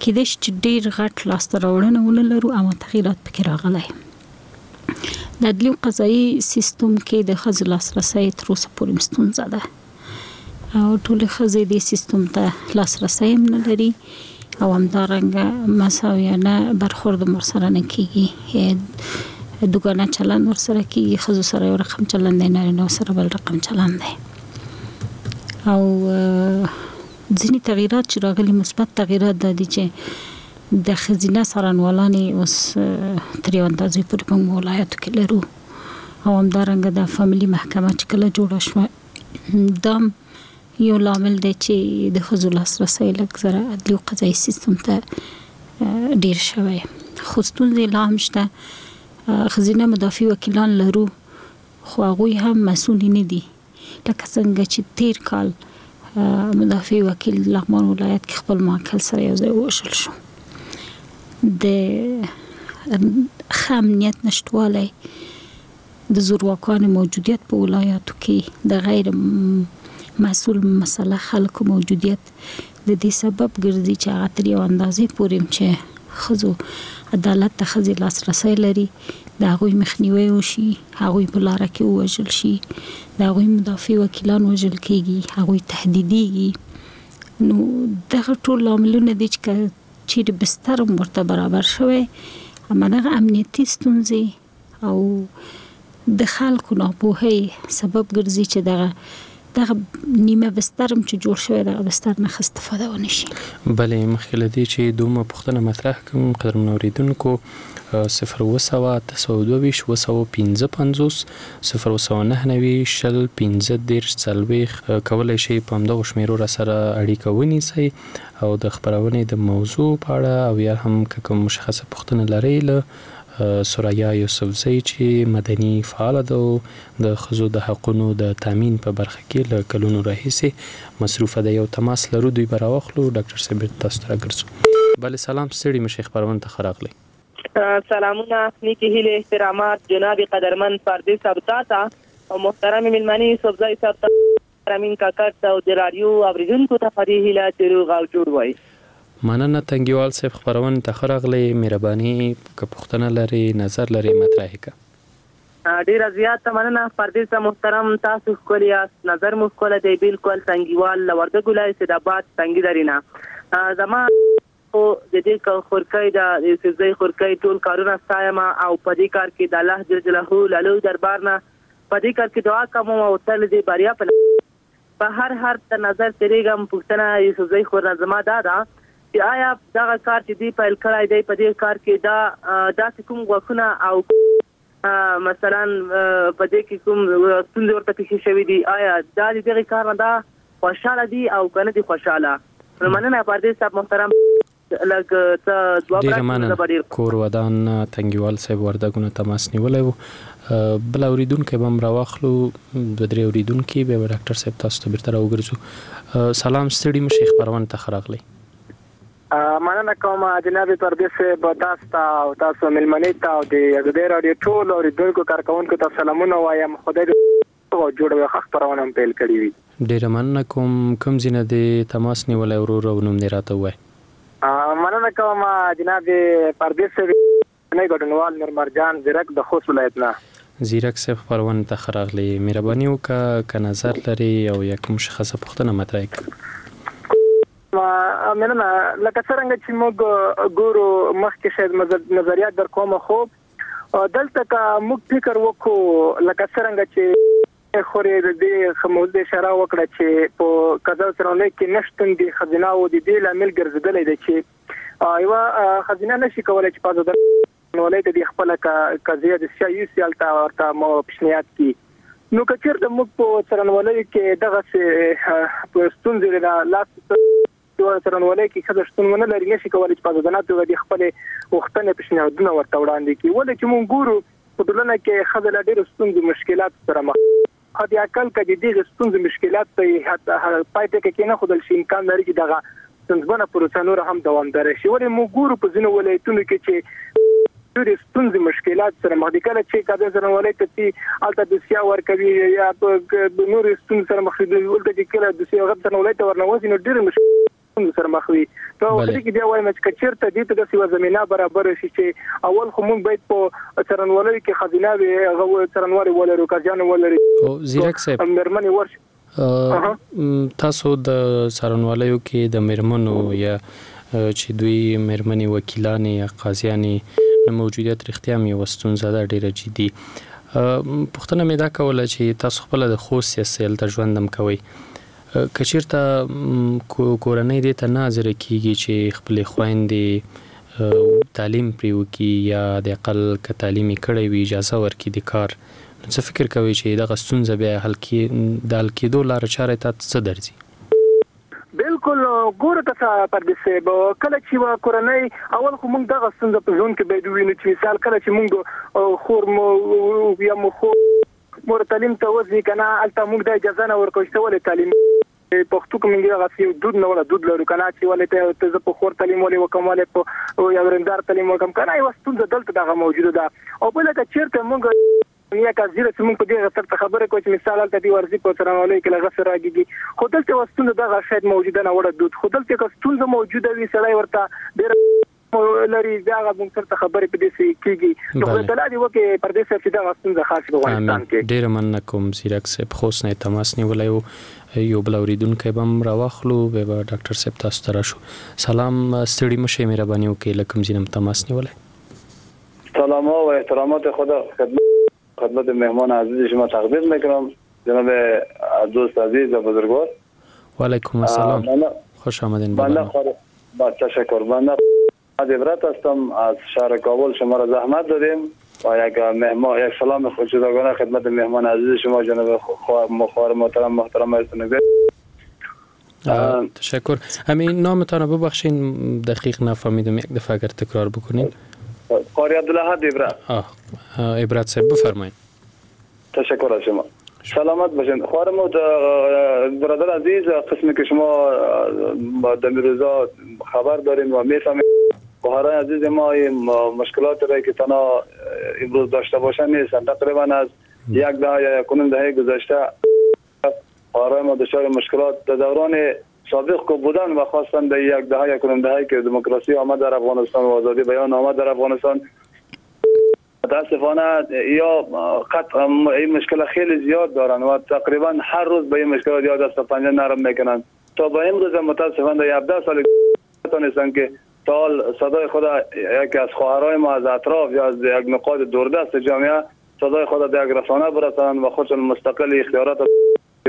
کېدای شي چې ډېر غټ لاسته راوړنه ونه لرو، اما تغییرات پکې راغلی. د عدلي او قضایي سیستم کې د ښځو لاسرسی تر اوسه پورې ستونزه ده او ټولې ښځې دې سیستم ته لاسرسی هم نه لري او همدارنګه مساویانه برخورد هم ورسره نه کېږي. دوګانه چلند ورسره کیږي، ښځو سره یو رقم چلند دی، نارینه سره بل رقم چلند دی. او ځینې تغییرات چې راغلي، مثبت تغییرات دا دي چې د ښځینه څارنوالانې اوس تر یو اندازې پورې په ولایاتو کې لرو، او همدارنګه د فامیلي محکمه چې کله جوړه شوه، دا یو لامل دی چې د ښځو لاسرسی لږ زره عدلي او قضایي سیستم ته ډیر شوی. خو ستونزې لا هم شته. ښځینه مدافع وکیلان لرو، خو هغوی هم مسؤلې نه دي، لکه څنګه چې تیر کال مدافع وکیل لغمان ولایت کې خپل موکل سره یو ځای ووژل شو. د ښه امنیت نشتوالی، د زورواکانو موجودیت په ولایاتو کې، د غیر مسؤل مسله خلکو موجودیت د دې سبب ګرځي چې هغه تر یو اندازې پورې چې ښځو عدالت ته ښځې لاسرسی لري، د هغوی مخنیوی وشي، هغوی په لاره کې ووژل شي، د هغوی مدافع وکیلان وژل کیږي، هغوی تهدیدیږي. نو دغه ټول لاملونه دي چې که چیرې بستر هم ورته برابر شوی، اما دغه امنیتي ستونزې او د خلکو ناپوهۍ سبب ګرځي چې دغه دغه نیمه بستر هم چې جوړ شوی، دغه بستر نه ښه استفاده ونه شي. بله، مخکې له دې چې دومره پوښتنه مطرح کړم، قدرمنو اورېدونکو، صفر اووه سوه اته سوه دوه ویشت اووه سوه پنځه پنځوس صفر اووه سوه نهه نوي شل پنځه دېرش څلوېښت کولی شئ په همدغو شمېرو راسره اړیکه ونیسئ او د خپرونې د موضوع په اړه او یا هم که کوم مشخصه پوښتنه لرئ له ثریا یوسفزۍ چې مدني فعاله ده او د ښځو د حقونو د تامین په برخه کې له کلونو راهیسې مصروفه ده، یو تماس لرو، دوی به راواخلو. ډاکټر صاحب بېرته تاسو ته راګرځو. بله، سلام، ستړي مه شئ، خپرونې ته ښه راغلئ. سلامونه، نیکې هیلې، احترامات جناب قدرمن پردیس صاحب تاته او محترم میلمنې یوسفزۍ صاحب ته، امین کاکړ ته او د راډیو اورېدونکو ته په دې هیله چې روغ او جوړ وای. مننه تنګیوال صاحب، خپرونې ته ښه راغلئ. مهرباني که پوښتنه لرئ، نظر لرئ، مطرح یې کړه. ډېره زیاته مننه پردیس صاحب محترم، تاسو ښکلي یاست، نظر مو ښکلی دی. بالکل تنګیوال له وردګو ولایت سیدآباد تنګي درې نه. زما خو د دې خورکۍ د یوسفزۍ خورکۍ ټول کارونه ستایم او په دې کار کې د الله جل جلاله له لوی دربار نه په دې کار کې دعا کوم او تل دې بریا په په هر هر ته نظر تېرېږم. پوښتنه یوسفزۍ خور نه زما دا ده چې آیا دغه کار چې دوی پیل کړی دی، په دې کار کې دا داسې کوم غوښونه او مثلا په دې کې کوم ستونزې ورته پېښې شوې دي، آیا دا د دغې کار نه دا خوشحاله دي او که نه دي خوشحاله؟ نو مننه پردیس صاحب محترم، لږ څه ځواب ډېره راکړئ، زه مننه. به ډېر کور ودان تنګیوال صاحب وردګونو تماس نیولی و. بل اورېدونکی به هم راواخلو، دوه درې اورېدونکي، بیا به ډاکټر صاحب تاسو ته بېرته راوګرځو. سلام، ستړي مه شئ، خپرونې ته ښه راغلئ. مننه کوم جناب پردیس صاحب، تاسو ته او تاسو مېلمنې ته او د ازادي راډیو ټولو اورېدونکو کارکوونکو ته سلامونه وایم. خدای دې روغ او جوړ وي، ښه خپرونه هم پیل کړې وي. ډېره مننه کوم. کوم ځای نه دې تماس نیولی ورور او نوم دې راته ووایه؟ مننه کوم جناب پردیس صاحب، ګډونوال نور مرجان زیرک د خوست ولایت نه. زیرک صاحب، خپرونې ته ښه راغلې. مهرباني وکړه که نظر لرې او یا کوم مشخصه پوښتنه مطرح کړه. مننه. لکه څرنګه چې موږ ګورو مخکې شاید نظریات در کوم، خو دلته که موږ فکر وکړو لکه څرنګه چې خورې د دې موضوع اشاره وکړه چې په قضا څارنوالۍ کې نشتون د ښځینه وو د دې لامل ګرځېدلی دی چې یوه ښځینه نشي کولی چې په ازاده څارنوالۍ ته د خپله قضیه د سیا یوسي، هلته ورته پیشنهاد کړي. نو که چېرته موږ په څارنوالیو کې دغسې ستونزې لاس څارنوالۍ کې ښځه شتون ونه لري، نشي کولی چې په ازادانه توګه د خپلې غوښتنې پیشنهادونه ورته وړاندې کړي. ولې چې موږ ګورو په ټولنه کې ښځه له ډېرو ستونزو مشکلاتو سره مخ، حد اقل که د دغې ستونزو مشکلات ته یې پای ټکی کېنښودل شي، امکان لري چې دغه ستونزمنه پروسه نوره هم دوامداره شي. ولې موږ ګورو په ځینو ولایتونو کې چې ډېرې ستونزې مشکلات سره مخ دي، کله چې قاضي څارنوالۍ ته ځي هلته دوسیه ورکوي یا په نورو ستونزو سره مخ وي، هلته چې کله دوسیه هغه څارنوالۍ ته ورننوځي نو ډېرې مشکلات سره مخ وي. په اخري کې بیا وایم چې که چېرته دې ته داسې یوه زمینه برابره شي چې اول خو موږ باید په څارنوالیو کې ښځینه وي، هغه څارنوالې ولرو، قاضیانو ولري. زیرک صاحب، مېرمنې ورشي. تاسو د څارنوالیو کې د مېرمنو یا چې دوی مېرمنې وکیلانې یا قاضیانې نه موجودیت رښتیا هم یوه ستونزه ده ډېره جدي. پوښتنه مې دا کوله چې تاسو خپله د خوست یاست، هلته ژوند هم کوئ، که چېرته کورنۍ دې ته نه حاضره کېږي چې خپلې خویندې تعلیم پرې وکړي یا د اقل که تعلیم یې کړی وي اجازه ورکړي د کار، نو څه فکر کوئ چې دغه ستونزه بیا حل د حل کېدو لاره چاره ته څه درځي؟ بالکل ګوره ته پردیس صاحب، کله چې یوه کورنۍ اول خو موږ دغه ستونزه په ژوند کې باید ووینو چې مثال کله چې موږ خور مو یا مو خور مور تعلیم ته وځي که نه، هلته موږ دا اجازه نه ورکوو چې ته ولې تعلیم پښتو کې موږ دغسې یو دود نه ولا دود لرو که نه چې ولې ته زه په خور تعلیم ولې وکړم، ولې په یو ورېندار تعلیم وکړم که نه، یوه ستونزه دلته دغه موجوده ده. او بله که چېرته موږ یا که زیره چې موږ په دې سر خبره کوو چې مثال هلته دې ورځي په څارنوالۍ کې له هغه سره راګېږي، خو دلته یوه ستونزه دغه شاید موجوده نه وړه دود، خو دلته که ستونزه موجوده وي سړی ورته ډېره لري بیا هغه موږ سره خبرې په دې څه کېږي. نو خدای تعالی دې وکړي پردیس صاحب چې دغه ستونزه خاص په افغانستان کې. ډېره مننه کوم ځیرک صاحب، خوست نه یې تماس نیولی و. یو بل اورېدونکی به هم راواخلو، بیا به ډاکټر صاحب تاسو ته راشو. سلام، ستړي مه شئ، مهرباني وکړئ له کوم ځای نه مو تماس نیولی؟ سلام ها و احترامات خدا خدمت خدمت مهمان عزیز شما تقدیم میکنم، جناب دوست عزیز و بزرگوار. و علیکم السلام، خوش آمدین. بنده با تشکر، بنده عبرت هستم از شهر کابل، شما را زحمت دادیم و یک مهمان یک سلام جداگانه خدمت مهمان عزیز شما جناب خواهر محترم محترم استنبی. تشکر. همین نامتان ببخشین دقیق نفهمیدم، یک دفعه اگر تکرار بکنین. قاری عبدالاحد عبرت. آه عبرت صاحب بفرمایید. تشکر از شما، سلامت باشین. خواهر برادر عزیز، قسمی که شما در روزا خبر دارین و میفهمید خواهران عزیز ما این مشکلات را که تنها امروز داشته باشن نیستن. تقریبا از یک دهه یا یک و نیم دهه گذشته خواهران ما دچار مشکلات در دوران سابق که بودن و خواستن در یک دهه یک و نیم دهه که دموکراسی آمد در افغانستان و آزادی بیان آمد در افغانستان، متاسفانه یا قطع این مشکل خیلی زیاد دارن و تقریبا هر روز به این مشکلات یا دست و پنجه نرم میکنن. تا به امروز متاسفانه در هفده سال نتونستن که تا حال صدای خود یکی از خواهرای ما از اطراف یا از یک نقاط دوردست جامعه صدای خود در یک رسانه برسانند و خودشون مستقل اختیارات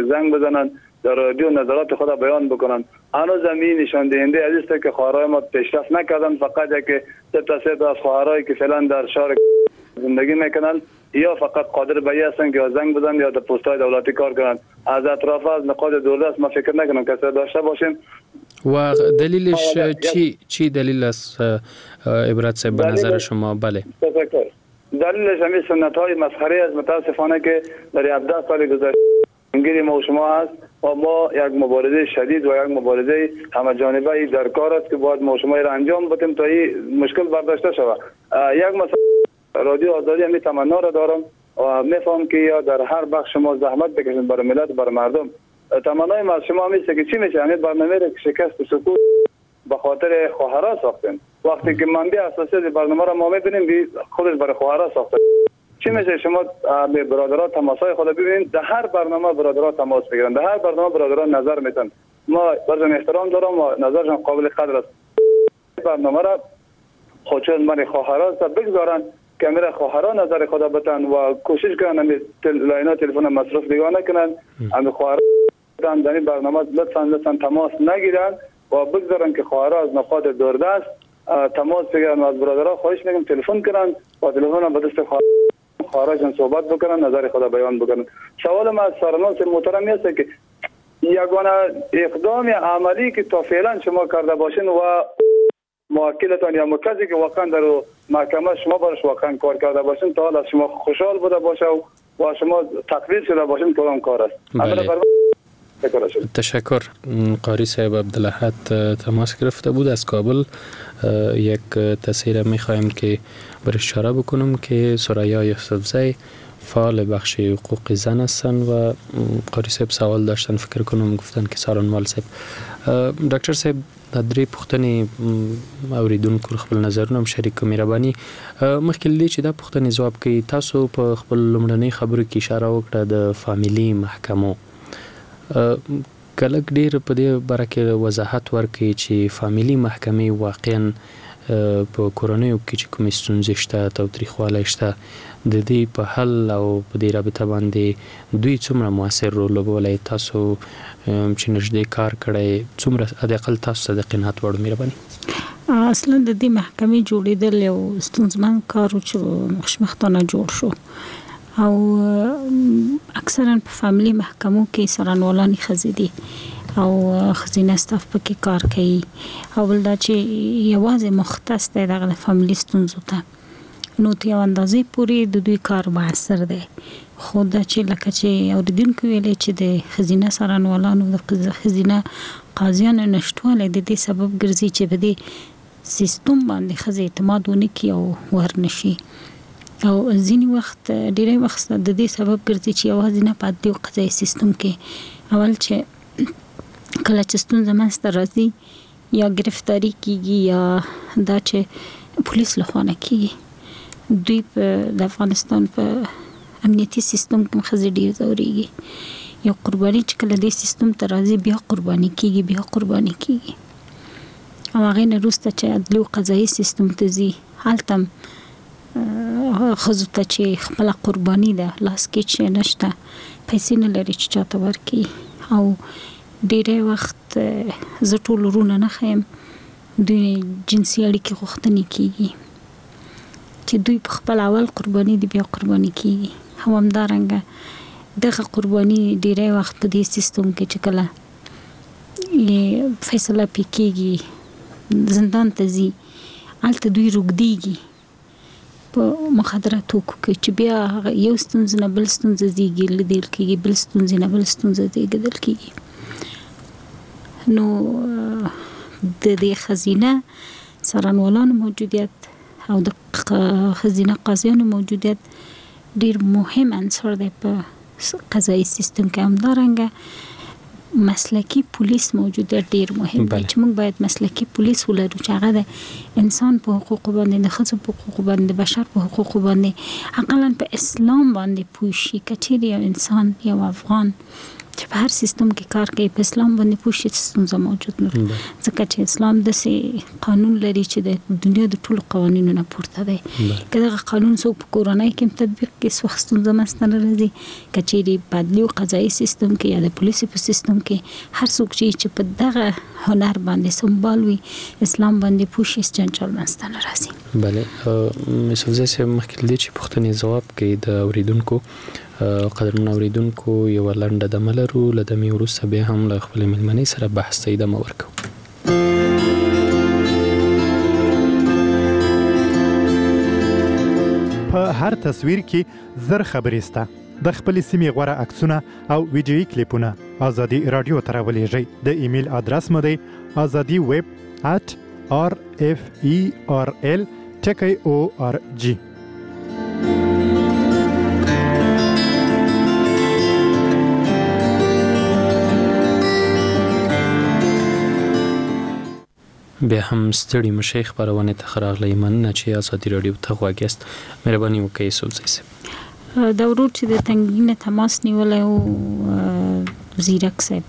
زنگ بزنند، در رادیو نظرات خود بیان بکنن. هنوز هم این نشان دهنده از است که خواهرای ما پیشرفت نکردن. فقط یک سه تا سه تا از خواهرایی که فعلا در شهر زندگی میکنن یا فقط قادر به این هستن که یا زنگ بزنن یا در پست‌های دولتی کار کنن. از اطراف از نقاط دوردست ما فکر نکنم کسی داشته باشیم. و دلیلش چی چی دلیل است عبرت صاحب به نظر شما؟ بله تشکر. دلیلش همین سنت های مسخره است متاسفانه که در هفده سال گذشته انگیری ما و شما هست و ما یک مبارزه شدید و یک مبارزه همه جانبه در کار است که باید ما و شما را انجام بدیم تا این مشکل برداشته شود. یک مثلا رادیو آزادی همی تمنا را دارم و میفهم که یا در هر بخش شما زحمت بکشید برای ملت برای مردم. تمنای ما از شما همیشه که چی میشه همین برنامه را که شکست و سکوت به خاطر خواهرها ساختیم. وقتی که منبع اساسی برنامه را ما میبینیم خودش برای خواهرها ساخته. چی میشه شما به برادرها تماسای خود ببینید، در هر برنامه برادرها تماس میگیرن، در هر برنامه برادرها نظر میتن. ما برشان احترام دارم و نظرشان قابل قدر است. برنامه را خودشون من خواهرها بگذارن که میره خواهرها نظر خود بتن و کوشش کنن همین لاینا تلفن مصرف نگاه نکنن، همین خواهرها در این برنامه لطفاً لطفاً تماس نگیرن و بگذارن که خواهرها از نقاط دوردست تماس بگیرن و از برادرها خواهش میکنم تلفن کنن و تلفن به دست خواهرشان صحبت بکنن، نظر خود بیان بکنن. سوال ما از سرناس محترم است که یگانه اقدام عملی که تا فعلا شما کرده باشین و موکلتان یا کسی که واقعا در محکمه شما برش واقعا کار کرده باشین تا حالا شما خوشحال بوده باشه و شما تقدیر شده باشین کدام کار است؟ بله. تشکر. قاری صاحب عبدالاحد تماس گرفته بود از کابل. یک تصویر میخوایم که بر اشاره بکنم که ثریا یوسفزی فعال بخش حقوق زن هستند و قاری صاحب سوال داشتن، فکر کنم گفتن که سارنوال صاحب. ډاکټر صاحب دا درې پوښتنې اوریدونکو خپل نظرونه هم شریک کړو، مهرباني. مخکې له دې چې دا پوښتنې ځواب کړئ، تاسو په خپل لومړنۍ خبرو کې اشاره وکړه د فامیلي محکمو، که لږ ډېر په دې باره کې وضاحت ورکړئ چې فامیلي محکمې واقعا په کورنیو کې چې کومې ستونزې شته، تاوتریخوالی شته، د دې په حل او په دې رابطه باندې دوی څومره موثر رول لوبولی؟ تاسو چې نږدې کار کړی، څومره حداقل تاسو ته د قناعت وړ؟ مهرباني. اصلا د دې محکمې جوړېدل یو ستونزمن کار و چې خوشبختانه جوړ شو، او اکثرا په فامیلي محکمو کې څارنوالانې ښځې دي او ښځینه ستاف پکې کار کوي، او بل دا چې یوازې مختص دی دغه د فامیلي ستونزو ته، نو تر یو اندازې پورې د دوی کار موثر دی. خو دا چې لکه چې اورېدونکو ویلې چې د ښځینه څارنوالانو د ښځینه قاضیانو نشتوالی د دې سبب ګرځي چې په دې سیستم باندې ښځې اعتماد ونه کړي او ورنه شي، او ځینې وخت ډېری وخت د دې سبب ګرځي چې یوازې نه په عدلي او قضایي سیستم کې اول چې کله چې ستونزه منځته راځي یا ګرفتاري کیږي یا دا چې پولیس له خوا نه کیږي، دوی په د افغانستان په امنیتي سیستم کې ښځې ډېر ځورېږي. یو قرباني چې کله دې سیستم ته راځي بیا قرباني کیږي، بیا قرباني کیږي، او هغې نه وروسته چې عدلي او قضایي سیستم ته ځي هلته هم ښځو ته چې خپله قرباني ده، لاس کې چې نشته، پیسې نه لري چې چاته ورکړي، او ډېری وخت زه ټول وروڼه نه ښیم، دوی جنسي اړیکې غوښتنې کیږي چې دوی په خپل اول قرباني دي بیا قرباني کیږي. او همدارنګه دغه قرباني ډېری وخت په دې سیستم کې چې کله فیصله پې کیږي زندان ته ځي، هلته دوی روږدیږي په مخدره توکو کې، چې بیا هغه یو ستونزه نه بل ستونزه زیږي لیدل کیږي، بل ستونزې نه بل ستونزه زیږېدل کیږي. نو د دې ښځینه څارنوالانو موجودیت او د ښځینه قاضیانو موجودیت ډېر مهم عنصر دی په قضایي سیستم کې. همدارنګه مسلکي پولیس موجودیت ډېر مهم دی چې موږ باید مسلکي پولیس ولرو چې هغه د انسان په حقوقو باندې، د ښځو په حقوقو باندې، د بشر په حقوقو باندې، اقلا په اسلام باندې پوه شي. که چیرې یو انسان، یو افغان چې په هر سیستم کې کار کوي په اسلام باندې پوه شي، ستونزه موجود نه، ځکه چې اسلام داسې قانون لري چې د دنیا د ټولو قوانینو نه پورته دی. که دغه قانون څوک په کورنۍ کې هم تطبیق کړي هېڅ وخت ستونزه منځته نه راځي. که چیرې په عدلي او قضایي سیستم کې یا د پولیسو په سیستم کې هر څوک چې چې په دغه هنر باندې سمبال وي، اسلام باندې پوه شي، هېڅ جنجال منځته نه راځي. بله، یوسفزی صاحب مخکې له دې چې پوښتنې ځواب کړئ د اورېدونکو، قدرمن اورېدونکو یوه لنډه دمه لرو، له دمې وروسته بیا هم له خپلې مېلمنې سره بحث ته ادامه ورکوو. په هر تصویر کې زر خبرې سته. د خپلې سیمې غوره عکسونه او ویډیويي کلیپونه ازادي راډیو ته راولېږئ. د ایمیل ادرس مو دی ازادي ویب اټ آر اف ای آر ایل ټکی او آر جی. بیا هم ستړي مشي خپرونې ته ښه راغلئ. مننه چې ازادي راډیو ته غوږ یاست. مهرباني وکړئ یوسفزی صاحب. دا ورور چې د تنګي نه تماس نیولی و، زیرک صاحب